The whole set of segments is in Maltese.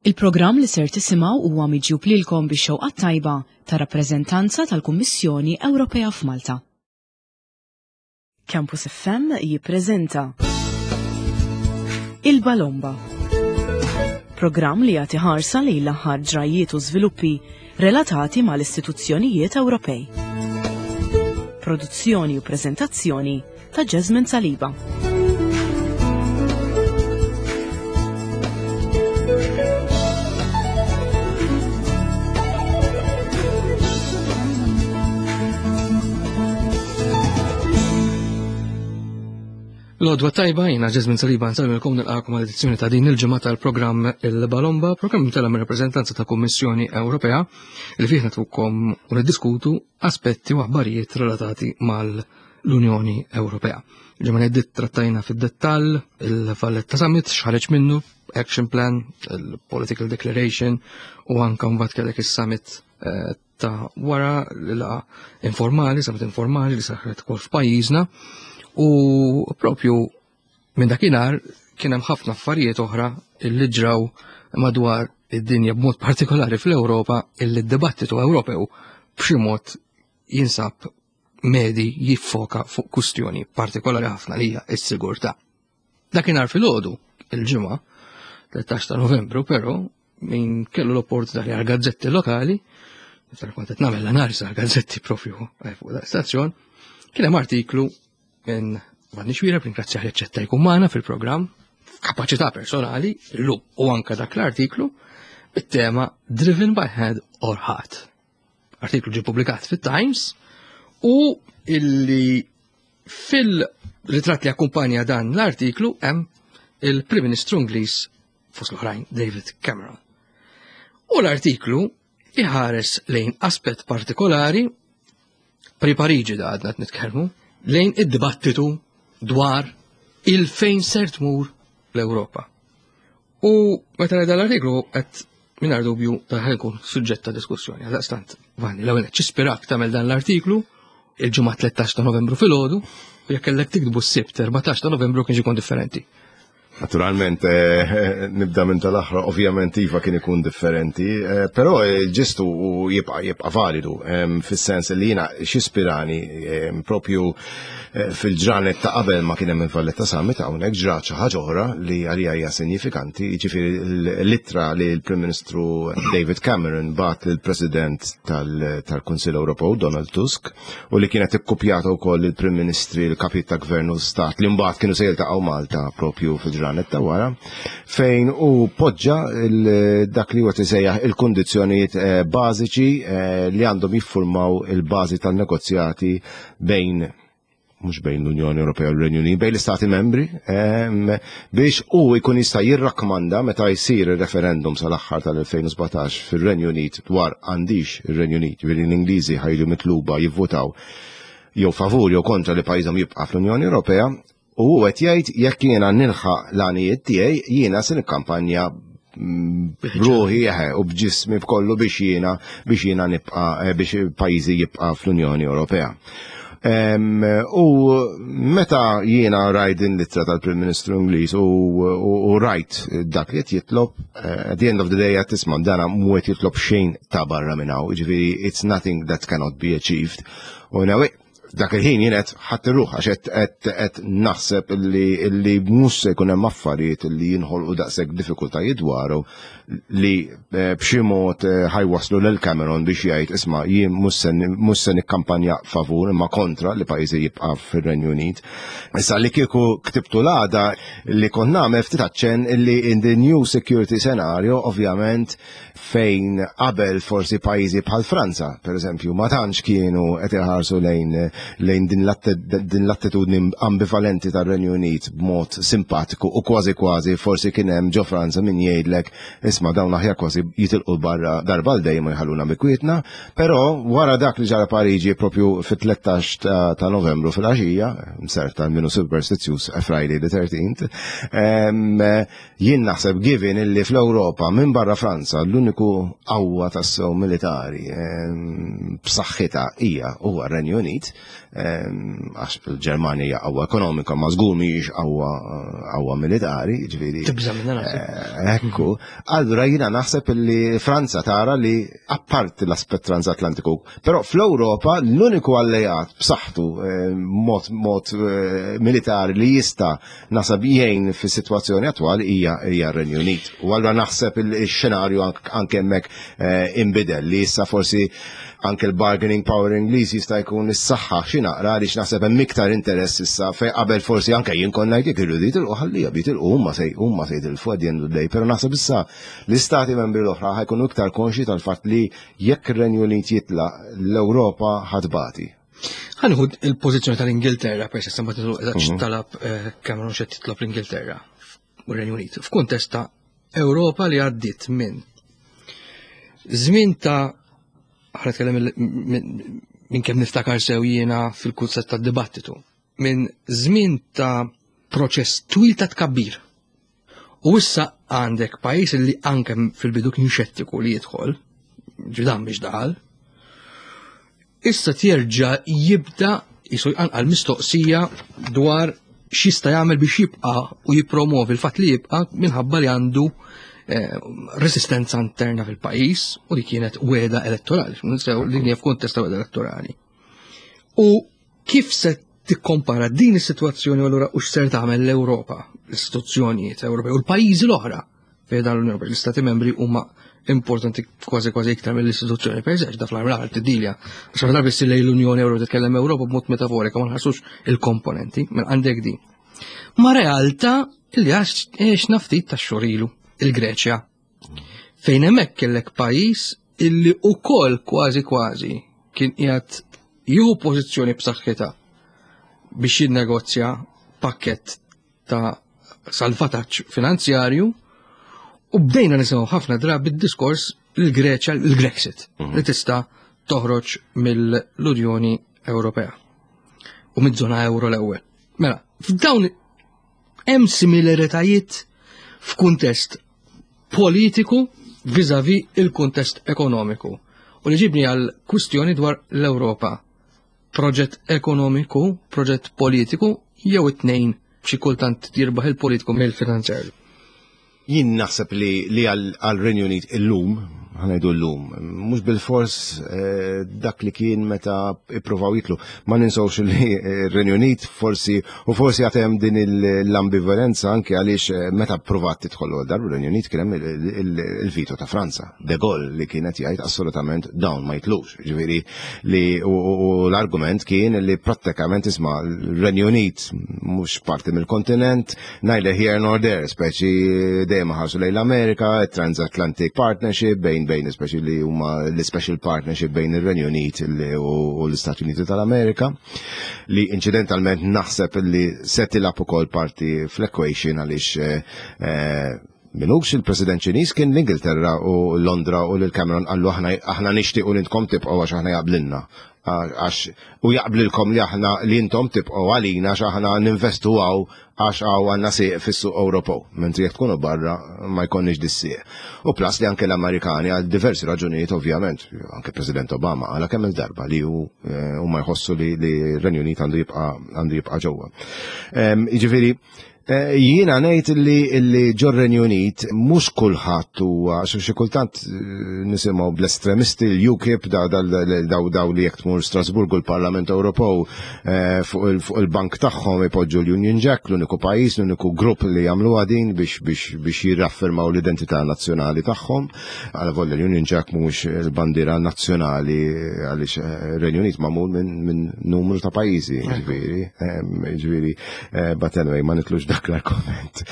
Il-programm li ser tisimgħu huwa miġjub lilkom bix-xewqa t-tajba tar-rappreżentanza tal-Kummissjoni Ewropea f'Malta. Campus FM jippreżenta Il-Balomba. Programm li jagħti ħarsa lejn l-aħħar ġrajjiet u żviluppi relatati mal-istituzzjonijiet Ewropej. Produzzjoni u preżentazzjoni ta' Jasmine Saliba. L-odwa tajba jina Ġezmin Saliba nsalmilkom nilqakom għal edizzjoni ta' din il-ġimgħa tal-programm Il-Balomba, programm tela mir rappreżentanza ta' Kummissjoni Ewropea li fih natukom u niddiskutu aspetti u aħbarijiet relatati mal-Unjoni Ewropea. Ġimgħa li trattajna fid-dettall il-Valletta Summit x'ħareġ minnu, Action Plan, il-Political Declaration u anka mbagħad kellek is-summit eh, ta' wara l-laqa informali, summit informali li saħret ukoll f'pajjiżna u propju minn dakinhar kien hemm ħafna affarijiet oħra li ġraw madwar id-dinja b'mod partikolari fl-Ewropa illi d-dibattitu Ewropew b'xi mod jinsab medi jiffoka fuq kustjoni partikolari ħafna li hija s-sigurtà. Dakinhar filgħodu il-ġimgħa 13 ta' Novembru però min kellu l-opportunità li għal gazzetti lokali, niftakar kont qed nagħmel l-analiżi għal gazzetti propju eh, fuq da stazzjon, kien hemm artiklu minn Vanni Xwira, ringrazzjah li ċetta jkun magħna fil-programm, f'kapaċità personali, illum u anka dak l-artiklu, bit-tema Driven by Head or Heart. Artiklu ġie publikat fit-Times u illi fil-ritratt li akkumpanja dan l-artiklu hemm il-Prim Ministru Ingliż fost l-oħrajn David Cameron. U l-artiklu iħares lejn aspett partikolari pri Pariġi da għadna nitkellmu lejn id-dibattitu dwar il-fejn ser tmur l-Ewropa. U meta dan l-artiklu qed mingħajr dubju ta' jkun suġġett ta' diskussjoni. Għaldaqstant, Vanni, l-ewwel ċispirak tagħmel dan l-artiklu il-ġimgħa 13 ta' Novembru filgħodu u jekk kellek tiktbu s-Sibt 14 ta' Novembru kien ikun differenti. Naturalment, eh, nibda minn tal-aħħar, ovvjament iva kien ikun differenti, eh, però il-ġestu jibqa' jibqa' validu, fis-sens li jiena x'ispirani propju eh, fil-ġranet ta' qabel ma kien hemm il-Valletta Summit hawnhekk ġrat xi ħaġa oħra li għalija hija sinjifikanti, jiġifieri l-ittra li l-Prim Ministru David Cameron bat lill-President tal-Kunsill Ewropew Donald Tusk u li kienet ikkupjata wkoll il-Prim Ministri, l-Kapijiet ta' Gvern u Stat li mbagħad kienu se jiltaqgħu Malta propju fil-ġranet ta' wara, fejn u poġġa dak li huwa tisejjaħ il-kundizzjonijiet eh, bażiċi eh, li għandhom jiffurmaw il-bażi tan-negozjati bejn mhux bejn l-Unjoni Ewropea u l-Renju Unit, bejn l-Istati membri, biex u jkun jista' jirrakkomanda meta jsir ir-referendum sal-aħħar tal-2017 fir-Renju Unit dwar għandix ir-Renju Unit, ġifieri l-Ingliżi ħajġu mitluba jivvutaw jew favur jew kontra li pajjiżhom jibqa' fl-Unjoni Ewropea, u hu qed jgħid jekk jiena nilħaq l-għanijiet tiegħi jiena se nikkampanja b'ruħi eħe u b'ġismi b'kollu biex jiena biex jiena nibqa' eh, biex pajjiżi jibqa' fl-Unjoni Ewropea. U meta jiena rajt din l-ittra tal-Prim Ministru Ingliż u, u, u rajt dak li qed jitlob, eh, at the end of the day qed tisma' dana mhu qed jitlob xejn ta' barra minn hawn, jiġifieri it's nothing that cannot be achieved. U dak il-ħin jien qed ħadd irruħ għax qed naħseb illi mhux se jkun hemm affarijiet li jinħolqu daqshekk diffikultajiet dwaru li eh, b'xi mod eh, ħajwaslu lil Cameron biex jgħid isma' jien mhux se nikkampanja favur imma kontra li pajjiżi jibqa' fir-Renju Unit. Issa li kieku ktibtu l-għada li kont nagħmel ftit aċċenn illi in the new security scenario ovvjament fejn qabel forsi pajjiżi bħal Franza, per eżempju, ma tantx kienu qed iħarsu lejn lejn din l-attitudni ambivalenti tar-Renju Unit b'mod simpatiku u kważi kważi forsi kien hemm ġo Franza min jgħidlek isma' dawn aħjar kważi jitilqu barra darba l dejjem u jħalluna bikwietna, però wara dak li ġara Pariġi propju fit-13 ta' Novembru fil-għaxija, mserta minnu superstizzjuż Friday the 13th, Jien naħseb given illi fl-Ewropa minn barra Franza l-uniku qawwa tassew militari ehm, b'saħħitha hija huwa r-Renju Unit. Għax il-Ġermanja hija qawwa ekonomika ma żgur mhijiex qawwa qawwa militari, ġifieri. Tibża' minnha naħseb. Eh, ekku. Allura jiena naħseb li Franza tara li apparti l-aspett transatlantiku, però fl-Ewropa l-uniku alleat b'saħħtu eh, mod mod eh, militari li jista' naħseb jgħin fis-sitwazzjoni attwali hija hija r-Renju Unit. U allura naħseb il-xenarju anke hemmhekk eh, inbidel li issa forsi anke l-bargaining power Ingliż jista' jkun is-saħħa xi naqra għaliex naħseb hemm iktar interess issa fejn qabel forsi anke jien konna ngħid jekk irridu jitilqu ħallija jitilqu huma se huma se jitilfu at the end of the day, però naħseb issa l-istati membri l-oħra ħajkunu iktar konxi tal-fatt li jekk ir-Renju Unit jitlaq l-Ewropa ħadbati. Ħanħu il-pożizzjoni tal-Ingilterra per se ma titlaq eżatt mhm. talab eh, Cameron xed titlob l-Ingilterra u r-Renju Unit f'kuntest ta' Ewropa li għaddiet minn żmien ta' ħa nitkellem minn kemm niftakar sew jiena fil-kunsett tad-dibattitu, minn żmien ta' proċess twil ta' tkabbir. U issa għandek pajjiż li anke fil-bidu kien xettiku li jidħol, ġidan biex daħal, issa terġa' jibda jisu jqanqal mistoqsija dwar x'jista' jagħmel biex jibqa' u jippromovi l-fatt li jibqa' minħabba li għandu eh, resistenza interna fil-pajjiż u li kienet weda elettorali, ninsew li hija f'kuntest ta' weda elettorali. U kif se tikkompara din is-sitwazzjoni allura u x'ser tagħmel l-Ewropa, l-istituzzjonijiet Ewropej u l-pajjiżi l-oħra fejn dan l-Unjoni Ewropea, l-Istati membri huma importanti kważi kważi iktar mill-istituzzjoni per se, da fl-armar tidilja. Għax ħafna drabi ssir lejn l-Unjoni Ewropea titkellem Ewropa b'mod metaforika ma nħassux il-komponenti, mela għandek di. Ma realtà li għax ftit ta' xorilu il-Greċja. Fejn hemmhekk kellek pajjiż illi ukoll kważi kważi kien qiegħed jieħu pożizzjoni b'saħħitha biex jinnegozja pakkett ta' salvataġġ finanzjarju u bdejna nisimgħu ħafna drabi d-diskors l-Greċja l-Grexit mhm. li tista' toħroġ mill-Unjoni Ewropea u mid-żona euro l-ewwel. Mela, f'dawn hemm similaritajiet f'kuntest politiku viżavi il-kuntest ekonomiku. U li ġibni għal kwistjoni dwar l-Ewropa. Proġett ekonomiku, proġett politiku, jew it-tnejn xi kultant jirbaħ il-politiku mill-finanzjarju. Jien naħseb li li għal-Renju Unit illum, ħanajdu llum, mhux bil-fors eh, dak li kien meta ippruvaw jitlu. Ma ninsawx li r-Renju Unit forsi u forsi għatem din l-ambivalenza anke għaliex eh, meta provat tidħol dar r-Renju Unit kien hemm il-vito ta' Franza, De Gaulle li kienet jgħid assolutament dawn ma jitlux. Ġifieri li u l-argument kien li prattikament isma' l-Renju Unit mhux parti mill-kontinent, neither here nor there, speċi dejjem ħarsu lejn l-Amerika, Transatlantic Partnership bejn bejn speċi li huma l-special partnership bejn ir-Renju Unit u l-Istati Uniti tal-Amerika li incidentalment naħseb li se tilgħab ukoll parti fl-equation għaliex eh, eh, Minux il-President Ċiniż kien l-Ingilterra u Londra u lil Cameron qallu aħna aħna nixtiequ li intkom tibqgħu għax aħna jaqblilna. Għax u jaqblilkom li aħna li intom tibqgħu għalina għax aħna ninvestu hawn għax hawn għandna sieq fis-suq Ewropew. Mentri jekk tkunu barra ma jkollniex dis-sieq. U plus li anke l-Amerikani għal diversi raġunijiet ovvjament, anke President Obama għala kemm il-darba li hu eh, huma jħossu li r-Renju Unit għandu jibqa' għandu jibqa' ġewwa. Ehm, jiġifieri Eh, jiena ngħid li li ġor-Renju Unit mhux kulħadd huwa xi kultant eh, nisimgħu bl-estremisti l-UKIP daw daw li jekk tmur Strasburgu l-Parlament Ewropew eh, fuq il-bank tagħhom ipoġġu l-Union Jack, l-uniku pajjiż, l-uniku grupp li jagħmluha din biex biex biex jirraffermaw l-identità nazzjonali tagħhom. Għal volja l-Union Jack mhux il-bandiera nazzjonali għaliex Renju Unit magħmul minn numru ta' pajjiżi, ġifieri, ġifieri Eh, but anyway, ma nitlux dak l-argument.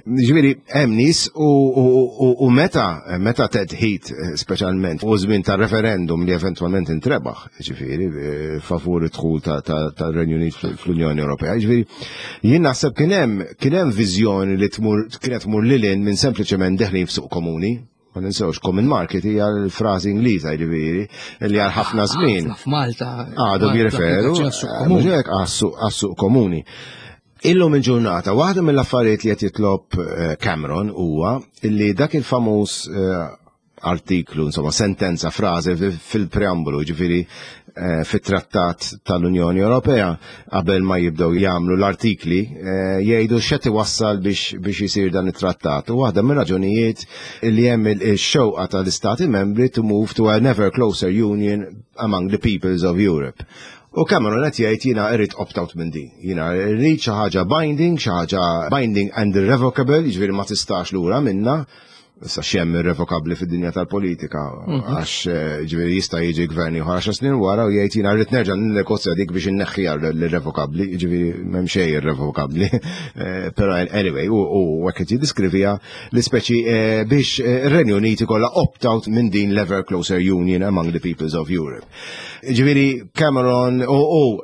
Ġifieri, hemm nies u meta meta Ted Heath eh, speċjalment u żmien ta' referendum li eventwalment intrebaħ, ġifieri, eh, favur id-dħul tar-Renju Unit fl-Unjoni Ewropea. Ġifieri, jien naħseb kien hemm kien hemm viżjoni li tmur kienet tmur lil minn sempliċement deħlin f'suq komuni. Ma ninsewx, common market hija l-frażi Ingliża jiġifieri li għal ħafna żmien. F'Malta. Għadhom jirreferu għas-suq komuni. Illum il-ġurnata, waħda mill-affarijiet li qed jitlob eh, Cameron huwa li dak il-famuż eh, artiklu, insomma, sentenza, frażi fil-preambolu, ġifieri eh, fit-trattat tal-Unjoni Ewropea qabel ma jibdew jagħmlu l-artikli eh, jgħidu x'qed iwassal biex biex isir dan it-trattat. U waħda mir-raġunijiet li hemm il-xewqa tal-istati membri to move to an ever closer union among the peoples of Europe. U Cameron qed jgħid jiena irrid opt-out minn din. Jiena rrid xi ħaġa binding, xi ħaġa binding and irrevocable, jiġifieri ma tistax lura minna. Issa x'hemm irrevokabbli fid-dinja tal-politika, mhm. għax eh, ġifieri jista' jiġi gvern ieħor għaxar snin wara u jgħid jiena rrid nerġa' ninnegozja dik biex inneħħiha l-irrevokabbli, jiġifieri m'hemm xejn irrevokabbli. Eh, però anyway, u hekk qed jiddiskrivija l-ispeċi eh, biex ir-Renju Unit ikollha opt-out minn din l-ever closer union among the peoples of Europe. Ġifieri Cameron u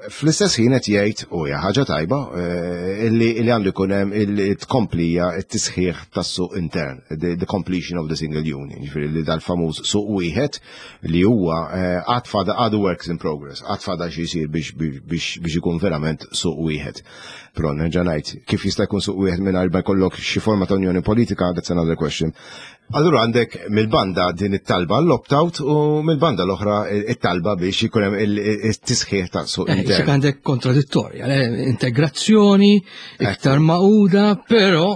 fl-istess ħin qed jgħid u hija ħaġa tajba eh, li għandu jkun hemm il-tkomplija t-tisħiħ tas-suq intern, the completion of the single union, ġifieri li dal-famuż suq wieħed li huwa eh, għad fada għadu works in progress, għad fada xi jsir biex ikun verament suq wieħed. Però nerġa' ngħid, kif jista' jkun suq wieħed mingħajr ma jkollok xi forma ta' unjoni politika, that's another question. Allura għandek mill-banda din it-talba l-opt-out u mill-banda l-oħra it-talba biex ikun hemm it-tisħiħ ta' suq eh, intern. għandek kontradittorja, integrazzjoni, iktar maquda, però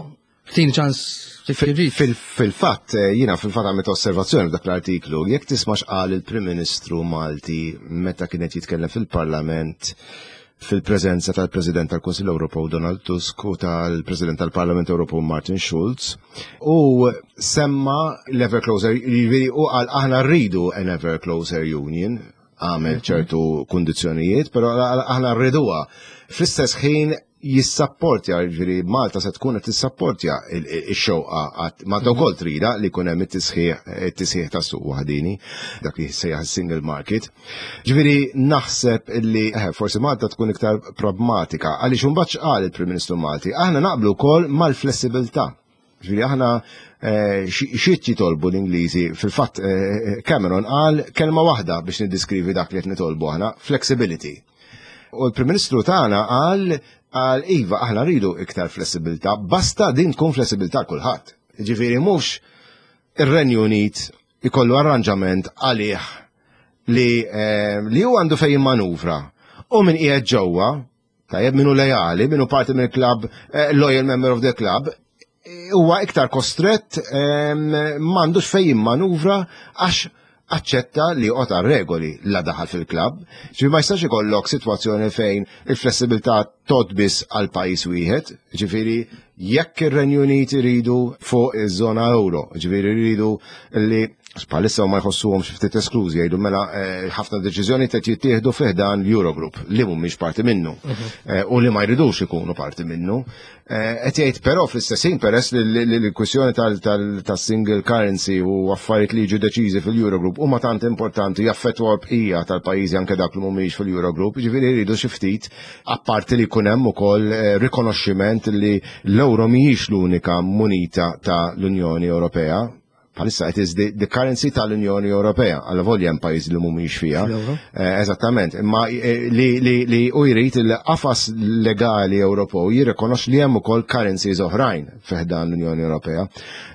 tin ċans Fil-fatt, eh, jina fil-fatt għamilt osservazzjoni f'dak l-artiklu, jekk tisma' x'qal il-Prim Ministru Malti meta kienet jitkellem fil-Parlament fil-preżenza tal-President tal-Kunsill Ewropew Donald Tusk u tal-President tal-Parlament Ewropew Martin Schulz u semma l-Ever Closer, jiġifieri u qal aħna rridu an Ever Closer Union, għamel mhm. ċertu kundizzjonijiet, però aħna rriduha. Fl-istess ħin jissapportja, ġifieri Malta se tkun qed tissapportja x-xewqa għat Malta wkoll trida li jkun hemm it-tisħiħ tas-suq waħdini, dak li sejjaħ single market. Ġifieri naħseb li eh, forsi Malta tkun iktar pragmatika għaliex imbagħad x'qal il-Prim Ministru Malti, aħna naqblu wkoll mal-flessibilità. Ġifieri aħna eh, xi jitolbu l-Ingliżi, fil-fatt eh, Cameron qal kelma waħda biex niddiskrivi dak li qed nitolbu aħna, flexibility. U l-Prim Ministru tagħna qal qal iva aħna rridu iktar flessibilità, basta din tkun flessibilità kulħadd. Ġifieri mhux ir-Renju Unit ikollu arranġament għalih li eh, li hu għandu fejn jimmanuvra u min qiegħed ġewwa, tajjeb minnu lejali, minnu parti mill-club, eh, loyal member of the club, huwa iktar kostrett m'għandux fejn jimmanuvra għax aċċetta li joqgħod għar-regoli la daħal fil-klabb. Ġifieri ma jistax ikollok sitwazzjoni fejn il-flessibilità tgħodd biss għal pajjiż wieħed, ġifieri jekk ir-Renju Unit iridu fuq iż-żona euro, ġifieri jridu li bħalissa ma jħossuhom xi ftit esklużi jgħidu mela eh, ħafna deċiżjoni qed jittieħdu fih dan l-Eurogroup li mhumiex parti minnu mhm. eh, u li ma jridux ikunu parti minnu. Eh, qed jgħid però fl-istess ħin peress li l-kwistjoni tas-single currency u affarijiet li jiġu deċiżi fil-Eurogroup huma tant importanti jaffettwaw bqija tal-pajjiżi anke dak li mhumiex fil-Eurogroup, jiġifieri jridu xi ftit apparti li jkun hemm ukoll eh, rikonoxximent li l-euro mhijiex l-unika munita ta' l-Unjoni Ewropea Bħalissa it is the, the currency tal-Unjoni Ewropea, għalla volja hemm pajjiż li mhumiex fiha. Eh, eżattament, imma eh, li, li, li u jrid il-qafas legali Ewropew jirrikonox li hemm ukoll currencies oħrajn fiħdan l-Unjoni Ewropea.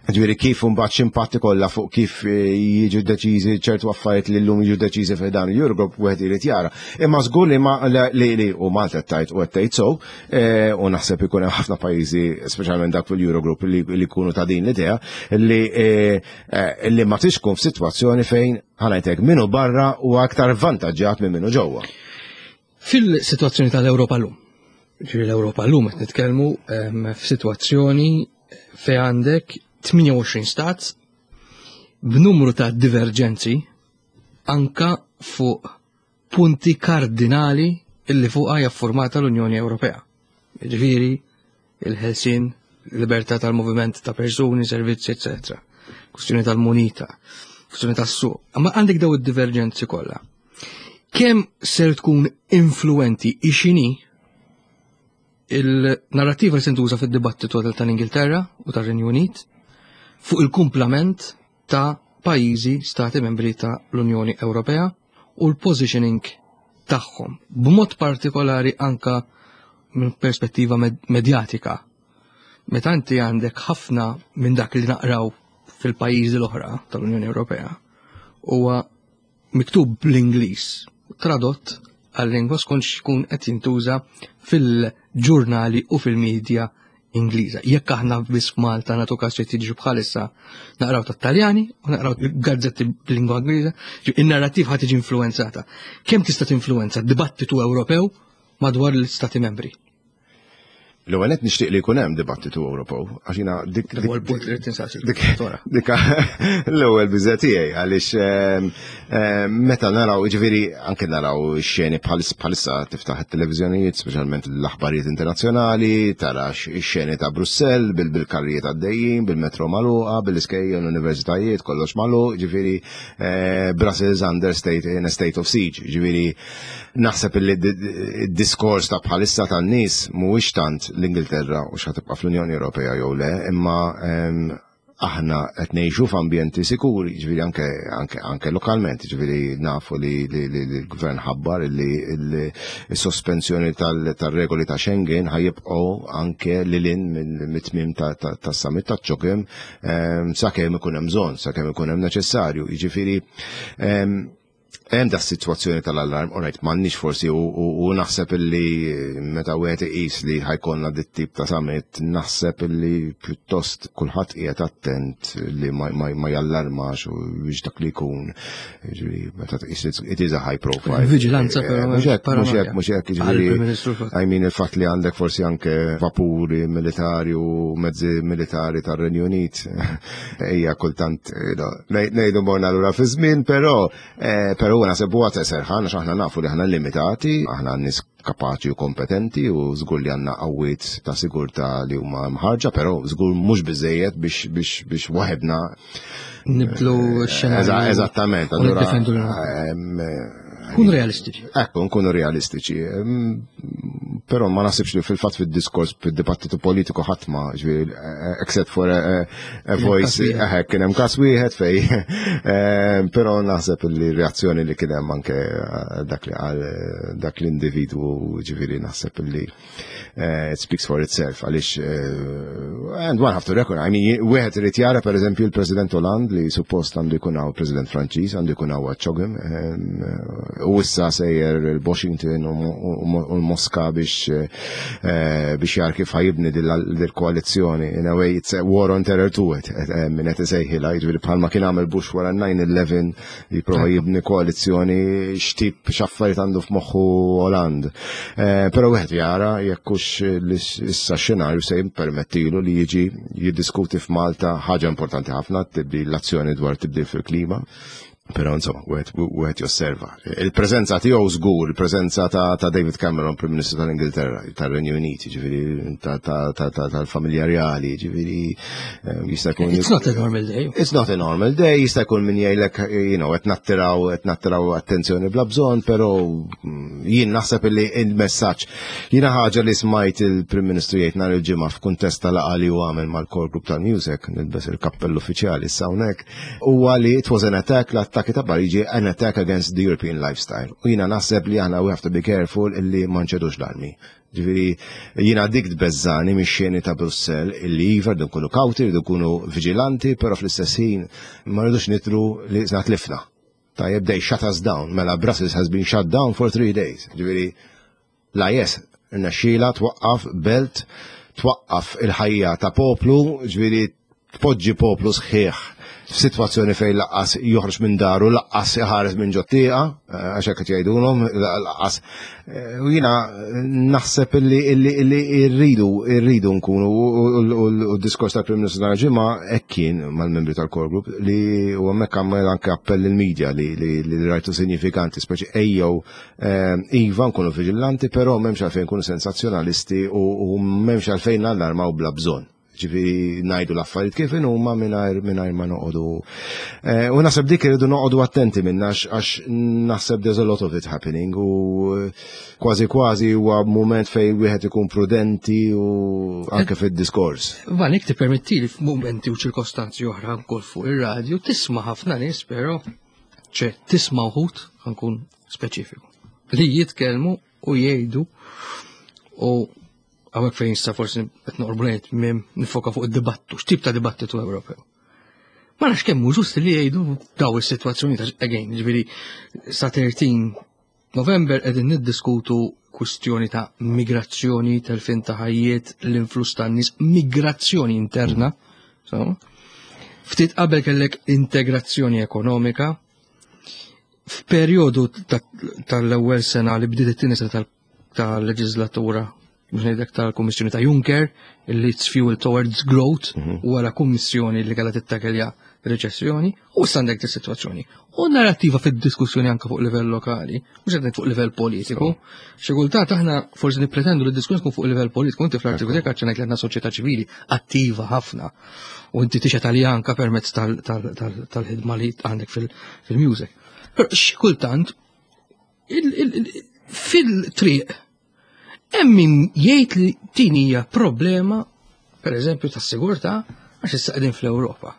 Ġifieri kif imbagħad x'impatt ikollha fuq kif eh, jiġu deċiżi ċertu affarijiet li llum jiġu deċiżi fiħdan l-Eurogroup wieħed irid jara. Imma żgur li ma li, li u Malta tajt u qed tgħid so, Eh, u naħseb ikun hemm ħafna pajjiżi, speċjalment dak fil-Eurogroup li jkunu ta' din l-idea, li eh, eh, li ma tix tkun f'sitwazzjoni fejn ħanajtek minu barra u aktar vantaġġat minn minnu ġewwa. Fil-sitwazzjoni tal-Ewropa llum, ġifieri l-Ewropa llum qed nitkellmu ehm, f'sitwazzjoni fejn għandek 28 stat b'numru ta' diverġenzi anka fuq punti kardinali illi fuqha hija ffurmata l-Unjoni Ewropea. Jiġifieri il-ħelsien, libertà tal-moviment ta' persuni, servizzi, etc. Kwestjoni tal-munita, kwestjoni tas-suq. Amma għandek daw id-diverġenzi kollha. Kemm ser tkun influenti ixini il-narrativa li se ntuża fid-dibattitu tal-Ingilterra u tar-Renju Unit fuq il-kumplament ta' pajjiżi stati membri ta' l-Unjoni Ewropea u l-positioning tagħhom, b'mod partikolari anka minn perspettiva medjatika. Meta inti għandek ħafna minn dak li naqraw fil-pajjiżi l-oħra tal-Unjoni Ewropea huwa miktub bl-Ingliż. tradott għal-lingwa skont x'ikun qed jintuża fil-ġurnali u fil-medja Ingliża. Jekk aħna biss f'Malta nagħtu każ li tiġi bħalissa naqraw tat-Taljani u naqraw gazzetti b'lingwa Ingliża, in-narrattiv ħa tiġi influenzata. Kemm tista' tinfluenza dibattitu Ewropew madwar l-Istati membri? L-ewwel qed nixtieq li jkun hemm dibattitu Ewropew għax jiena dik dik punt li tinsaqsi. Dik l-ewwel biża tiegħi għaliex ehm, ehm, meta naraw jiġifieri anke naraw xeni bħalissa tiftaħ it-televiżjonijiet, speċjalment l-aħbarijiet internazzjonali, tara x-xeni ta' Brussell bil-karrijiet għaddejjin, bil-metro magħluqa, bil-iskejjel l-universitajiet, kollox magħluq, jiġifieri eh, Brussels under state in a state of siege, jiġifieri Naħseb li d-diskors ta' bħalissa tan-nies mhuwiex tant l-Ingilterra u x'ħa tibqa' fl-Unjoni Ewropea jew le, imma ehm, aħna qed ngħixu f'ambjenti sikuri, ġifieri anke anke anke lokalment, ġifieri nafu li l-gvern ħabbar li s-sospensjoni tal-regoli ta' Schengen ħajibqgħu anke lil hinn mit-tmiem tas-summit ta' ċokim ehm, sakemm ikun hemm bżonn, sakemm ikun hemm neċessarju. Jiġifieri ehm, Hemm da sitwazzjoni tal-allarm, all right, m'għandniex forsi u naħseb illi meta wieħed iqis li ħajkonna dit tip ta' summit, naħseb illi pjuttost kulħadd qiegħed attent li ma jallarmax u biex dak li jkun, jiġifieri meta tqis it is a high profile. Viġilanza però. Mhux hekk, mhux hekk, mhux hekk, jiġifieri I mean il-fatt li għandek forsi anke vapuri militari u mezzi militari tar-Renju Unit hija kultant ngħidu morna lura fi żmien, però eh, però naħseb huwa ta' serħan għax aħna nafu li aħna limitati, aħna nies kapaċi u kompetenti u żgur li għandna qawwiet ta' sigurtà li huma mħarġa, però żgur mhux biżejjed biex biex biex waħedna nibdlu eh, x-xena. Eżattament, allura Kun realistiċi. Ekku, nkunu realistiċi. Però ma nasibx li fil-fatt fid-diskors fid-dibattitu politiku ħadd ma ġifieri eh, except for a, a voice eh, kien hemm każ wieħed fej. Eh, però naħseb li reazzjoni li kien hemm anke dak li qal dak l-individwu ġifieri naħseb li Eh, it speaks for itself għaliex eh, and one have to reckon, I mean, wieħed irid jara pereżempju l-President Hollande li suppost għandu jkun hawn President Franċiż għandu jkun hawn ċogim eh, u issa sejjer il-Washington u l-Moska biex biex jar kif ħajibni dil-koalizzjoni. In a way, it's a war on terror to it, minn qed isejħilha, jiġifieri bħalma kien għamel Bush wara 9-11 jipprova jibni koalizzjoni x'tip x'affarijiet għandu f'moħħu Hollande. Eh, però wieħed jara jekk hux issa xenarju se jippermettilu li jiġi jiddiskuti f'Malta ħaġa importanti ħafna tibdi l-azzjoni dwar tibdil fil-klima. Però insomma, wieħed josserva. Il-preżenza tiegħu żgur, il-preżenza ta' David Cameron, Prim Ministru tal-Ingilterra, tar-Renju Unit, ġifieri tal-familja reali, ġifieri eh, jista' jkun. It's not a normal day. It's not a normal day, jista' jkun min jgħidlek, you know, qed nattiraw, qed nattiraw attenzjoni bla bżonn, però mm, jien naħseb illi il-messaġġ. Jiena ħaġa li smajt il-Prim Ministru jgħid nhar il-ġimgħa f'kuntest tal-laqgħa li hu għamel mal-core group tal-music, nilbes il-kappell uffiċjali issa hawnhekk, huwa li it was an attack, l-attakki ta' Pariġi, an attack against the European lifestyle. U jiena naħseb li aħna we have to be careful illi ma nċedux l-armi. Ġifieri jiena dik tbeżżani mix-xeni ta' Brussell illi iva rridu nkunu kawti, rridu nkunu viġilanti, però fl-istess ħin ma rridux nitru li sna tlifna. Tajjeb, they shut us down, mela Brussels has been shut down for three days. Ġifieri l-IS rnexxielha twaqqaf belt, twaqqaf il-ħajja ta' poplu, ġifieri tpoġġi poplu sħiħ f'sitwazzjoni fejn laqqas joħroġ minn daru, laqqas iħares minn ġottieqa, eh, għax hekk qed jgħidulhom, laqqas. Eh, u jiena naħseb illi illi rridu rridu nkunu u d-diskors tal-Prim Ministru nhar ġimgħa hekk kien mal-membri tal-Core Group li u hemmhekk għamel anke appell il-medja li rajtu sinifikanti, speċi ejjew eh, iva nkunu viġilanti, però m'hemmx għalfejn nkunu sensazzjonalisti u m'hemmx għalfejn nallarmaw bla bżonn. Ġifieri ngħidu l-affarijiet kif huma mingħajr mingħajr ma noqogħdu. Eh, u naħseb dik irridu noqogħdu attenti minna għax naħseb there's a lot of it happening u eh, kważi kważi huwa mument fejn wieħed ikun prudenti u anke fid-diskors. Van jekk tippermetti li f'mumenti u ċirkostanzi oħra wkoll fuq ir-radju tisma' ħafna nies però ċe tisma' wħud nkun speċifiku li jitkellmu u jgħidu u Hawnhekk fejn issa forsi qed noqorbu lejn it-tmiem nifoka fuq id-dibattu, x'tip ta' dibattitu Ewropew. Ma nafx kemm hu ġust li jgħidu daw is-sitwazzjoni ta' again, ġifieri sa 13 November qegħdin niddiskutu kwistjoni ta' migrazzjoni, telfin ta' ħajjiet, l-influss tan-nies, migrazzjoni interna. So, ftit qabel kellek integrazzjoni ekonomika. F'perjodu tal-ewwel sena li bdiet it-tieni sena tal-leġislatura biex ngħidlek tal-Kummissjoni ta' Juncker li it's fuel towards growth u wara kummissjoni li kellha tittakelja reċessjoni u issa għandek dis-sitwazzjoni. U narrattiva fid-diskussjoni anke fuq livell lokali, mhux qed fuq livell politiku. Xi kultant aħna forsi nippretendu li d-diskussjoni tkun fuq livell politiku, inti fl-artiklu tiegħek għaċċenajt li għandna soċjetà ċivili attiva ħafna u inti tixhed għalija anke permezz tal-ħidma li għandek fil-music. Però xi kultant fil-triq hemm min jgħid li din hija problema pereżempju tas-sigurtà għax issa qegħdin fl-Ewropa.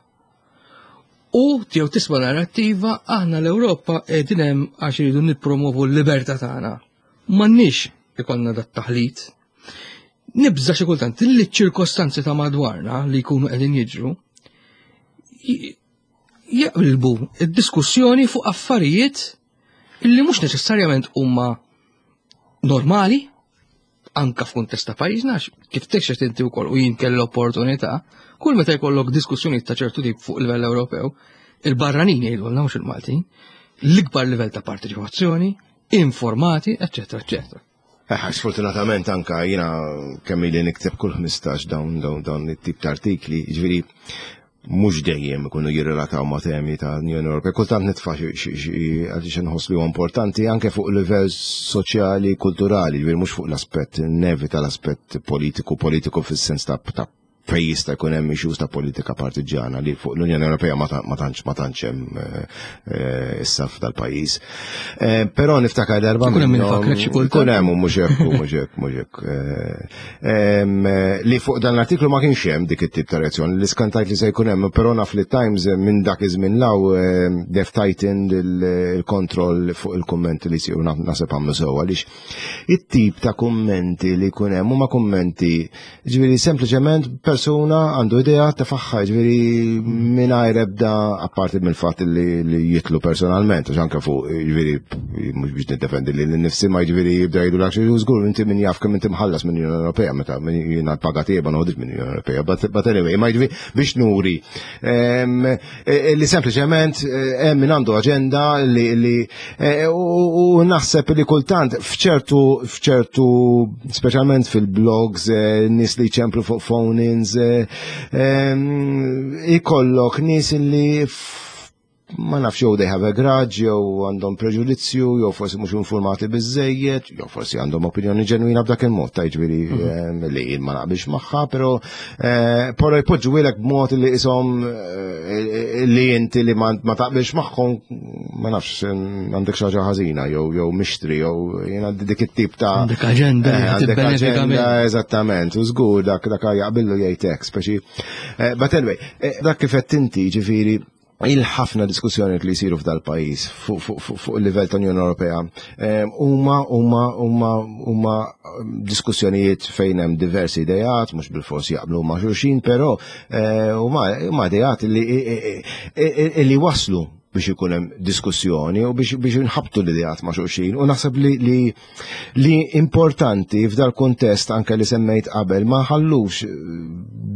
U jew tisma' narrattiva aħna l-Ewropa qegħdin hemm għax iridu nippromovu l-libertà tagħna. M'għandniex ikollna dat taħlit. Nibża xi kultant li ċ-ċirkostanzi ta' madwarna li jkunu qegħdin jiġru jaqilbu id-diskussjoni fuq affarijiet illi mhux neċessarjament huma normali anka f'kuntest ta' pajjiżna kif tekxet inti wkoll u jien kelli l-opportunità, kull meta jkollok diskussjonijiet ta' ċertu tip fuq livell Ewropew, il-barranin jgħidulna mhux il-Maltin, l-ikbar livell ta' parteċipazzjoni, informati, eċċetera, eċċetera. Eh, sfortunatament anka jiena kemm ili nikteb kull 15 dawn dawn dawn it-tip ta' artikli, jiġifieri mhux dejjem ikunu jirrelataw ma' temi ta' Unjoni Ewropea. Kultant nitfa' xi għaliex inħoss li huwa importanti anke fuq livell soċjali, kulturali, jiġifieri mhux fuq l-aspett nevita l-aspett politiku, politiku fis-sens ta' fejn jista' jkun hemm issues ta' politika partiġjana li fuq l-Unjoni Ewropea ma tantx ma tantx hemm eh, eh, issa f'dal-pajjiż. Eh, però niftakar darba. Ikun hemm infakrek xi kultant. Ikun hemm mhux hekk mhux hekk mhux hekk. Li fuq dan l-artiklu ma kienx hemm dik it-tip ta' reazzjoni li skantajt li se jkun hemm, però naf li Times minn dak iż-żmien law def tightened il-kontroll fuq il-kummenti li jsiru naħseb għamlu sew għaliex it-tip ta' kummenti li jkun hemm huma kummenti Ġifieri sempliċement persuna għandu idea tefaħħa, ġifieri mingħajr ebda apparti mill-fatt li jitlu personalment, għax anke fuq ġifieri mhux biex niddefendi li nnifsi ma ġifieri jibda jgħidu l żgur inti min jaf kemm inti mħallas minn Unjoni Ewropea meta jiena l-paga tiegħi ma noħodx minn Unjoni Ewropea, but anyway, ma ġifieri biex nuri e, e, li sempliċement e, hemm min għandu aġenda li u naħseb li kultant f'ċertu f'ċertu speċjalment fil-blogs nies li ċemplu fuq phone-ins ikollok nies li ma nafx jew they have a grudge, jew għandhom preġudizzju, jew forsi mhux informati biżejjed, jew forsi għandhom opinjoni ġenwina b'dak il-mod, ta' jiġifieri mhm. eh, li jien ma naqbilx magħha, però eh, però jpoġġu b'mod li ishom eh, li inti li ma taqbilx magħhom ma nafx għandek xi ħaġa ħażina jew jew mixtri jew jiena dik it-tip ta' għandek aġenda għandek aġenda eżattament, u żgur dak dak jaqbillu jgħid hekk, speċi. But anyway, dak kif qed inti ġifieri il-ħafna diskussjoni li jsiru f'dal-pajjiż fuq il-livell ta' Unjoni Ewropea ehm, huma huma huma huma diskussjonijiet fejn hemm diversi idejat, mhux bil-fors jaqblu ma' xulxin, però eh, huma idejat li waslu biex ikun hemm diskussjoni u biex biex inħabtu l-idejat ma' xulxin u naħseb li li li importanti f'dal kuntest anke li semmejt qabel ma ħallux eh,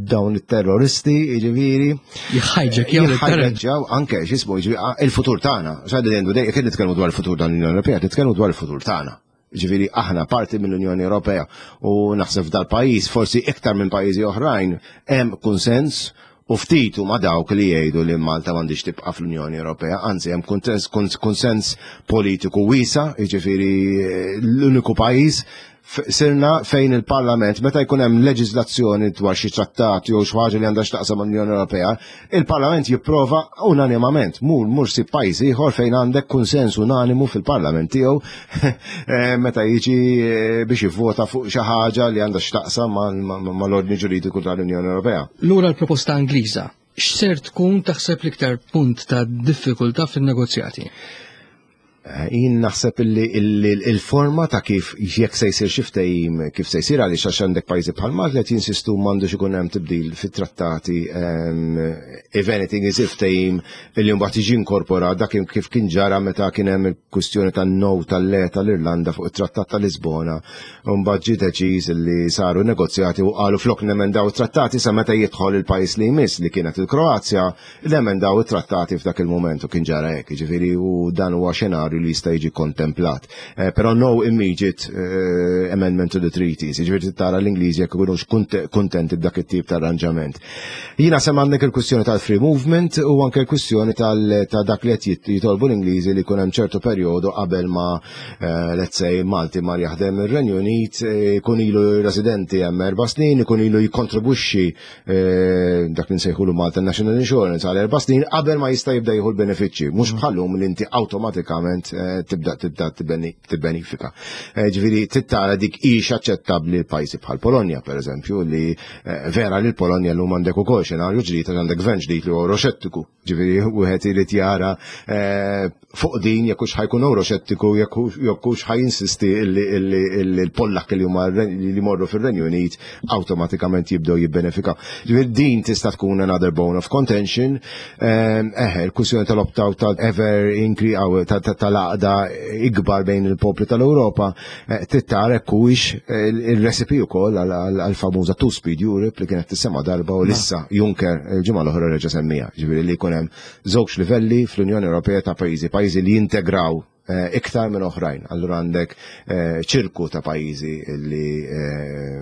dawn it-terroristi, jiġifieri. Jħajġek, jħajġew anke x'ismu il-futur tagħna. X'għaddi għandu dejjem kien nitkellmu dwar il-futur tal-Unjoni Ewropea, nitkellmu dwar il-futur tagħna. Ġifieri aħna parti mill-Unjoni Ewropea u naħseb f'dal-pajjiż forsi iktar minn pajjiżi oħrajn hemm kunsens U ftit huma dawk li jgħidu li Malta m'għandhiex tibqa' fl-Unjoni Ewropea, anzi hemm kunsens politiku wiesa', jiġifieri l-uniku pajjiż sirna fejn il-Parlament meta jkun hemm leġiżlazzjoni dwar xi trattat jew xi ħaġa li għandha x'taqsam mal-Unjoni Ewropea, il-Parlament jipprova unanimament. Mur mur sib pajjiż ieħor fejn għandek kunsens unanimu fil-Parlament tiegħu eh, meta jiġi eh, biex jivvota fuq xi ħaġa li għandha x'taqsam mal-ordni ġuridiku tal-Unjoni Ewropea. Lura l-proposta Ingliża, x'ser tkun taħseb l-iktar punt ta' diffikultà fin-negozjati? Eh, jien naħseb illi il-forma ta' kif jekk se jsir xi ftehim kif se jsir għaliex għax għandek pajjiżi bħal Malta qed jinsistu m'għandux ikun hemm tibdil fit-trattati ehm, if anything isir ftehim illi mbagħad jiġi inkorporat dak kif kien ġara meta kien hemm il-kwistjoni tan-no tal-le tal-Irlanda fuq it-Trattat ta' Lisbona u mbagħad ġie deċiż illi saru negozjati u qalu flok nemendaw it-trattati sa meta jidħol il-pajjiż li jmiss li kienet il-Kroazja L-emendaw it-trattati f'dak il-mument u kien ġara hekk, jiġifieri u dan huwa xenarju li jista' jiġi kontemplat. Eh, però no immediate eh, amendment to the treaties, jiġifieri tara l-Ingliżi jekk ikunux kuntenti b'dak it-tip ta' arranġament. Jiena sem għandek il-kwistjoni tal-free movement u anke l-kwistjoni ta' dak li qed jitolbu l-Ingliżi li jkun hemm ċertu perjodu qabel ma eh, let's say Malti mar jaħdem ir-Renju Unit, jkun ilu residenti hemm erba' snin, ikun ilu jikkontribwixxi Eh, dak li nsejħulu Malta National Insurance għal erba' snin qabel ma jista' jibda jieħu l-benefiċċji, mhux mm. bħallum li inti awtomatikament eh, tibda tibda tibbenifika. Eh, ġifieri tittara dik hix aċċettabbli l-pajjiżi bħal Polonja pereżempju li vera li l-Polonja llum għandek ukoll xenarju ġdid għandek gvern ġdid li huwa euroxettiku. Ġifieri wieħed irid jara eh, fuq din jekk hux ħajkun euroxettiku jekk hux ħajinsisti illi l-Pollak li huma li jmorru fir-Renju Unit awtomatikament jibdew jibbenefikaw. Ġifieri din tista' tkun another bone of contention. Eh, eħe, il-kwistjoni tal-opt-out tal-ever increase tal-għaqda ikbar bejn il-popli tal-Ewropa Eh, trid hekk huwiex eh, il-recipe wkoll għall-famuża Two Speed Europe li kienet tisema darba u lissa Juncker il-ġimgħa l-oħra reġa' semmija. Ġifieri li jkun hemm żewġ livelli fl-Unjoni Ewropea ta' pajjiżi, pajjiżi li jintegraw eh, iktar minn oħrajn. Allura għandek ċirku ta' pajjiżi li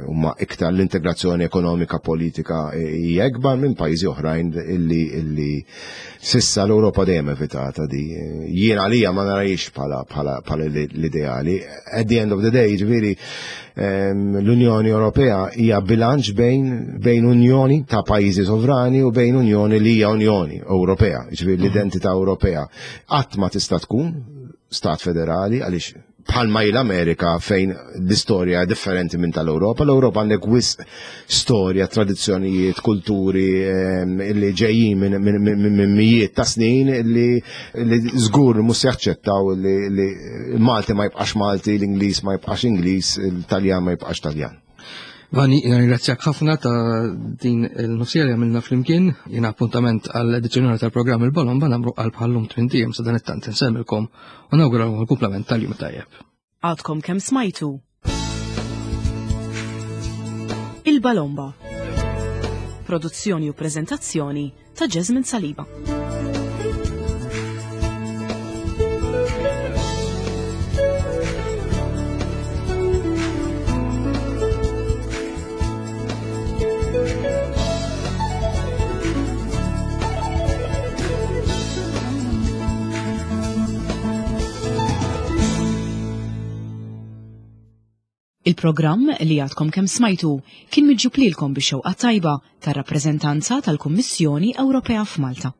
huma iktar l-integrazzjoni ekonomika politika hija ikbar minn pajjiżi oħrajn illi Sissa l-Ewropa dejjem evitata di. Jien għalija ma narajx bħala bħala bħala l-ideali. At the end of the day, ġifieri ehm, l-Unjoni Ewropea hija bilanċ bejn bejn unjoni ta' pajjiżi sovrani u bejn unjoni li hija Unjoni Ewropea, ġifieri l-identità Ewropea. Qatt ma tista' tkun stat federali għaliex bħalma hi l-Amerika fejn l-istorja differenti minn tal-Ewropa. L-Ewropa għandek wisq storja, tradizzjonijiet, kulturi ehm, li ġejjin minn mijiet ta' snin li żgur mhux se jaċċettaw li Malti ma jibqax Malti, l-Ingliż ma jibqax Ingliż, il-Taljan ma jibqax Taljan. Vani, jina ringrazzjak ħafna ta' din il-nofsija li għamilna flimkien, jina appuntament għall-edizzjoni tal-programm il-Bolomba namru għal bħallum tmintijiem sa dan it-tant insemmilkom u nawguralkom il-kumplament tal-jum tajjeb. Għadkom kemm smajtu Il-Balomba. Produzzjoni u preżentazzjoni ta' Jasmine Saliba. Il-programm li għadkom kemm smajtu kien miġjub lilkom bix-xewqa tajba tar-rappreżentanza tal-Kummissjoni Ewropea f'Malta.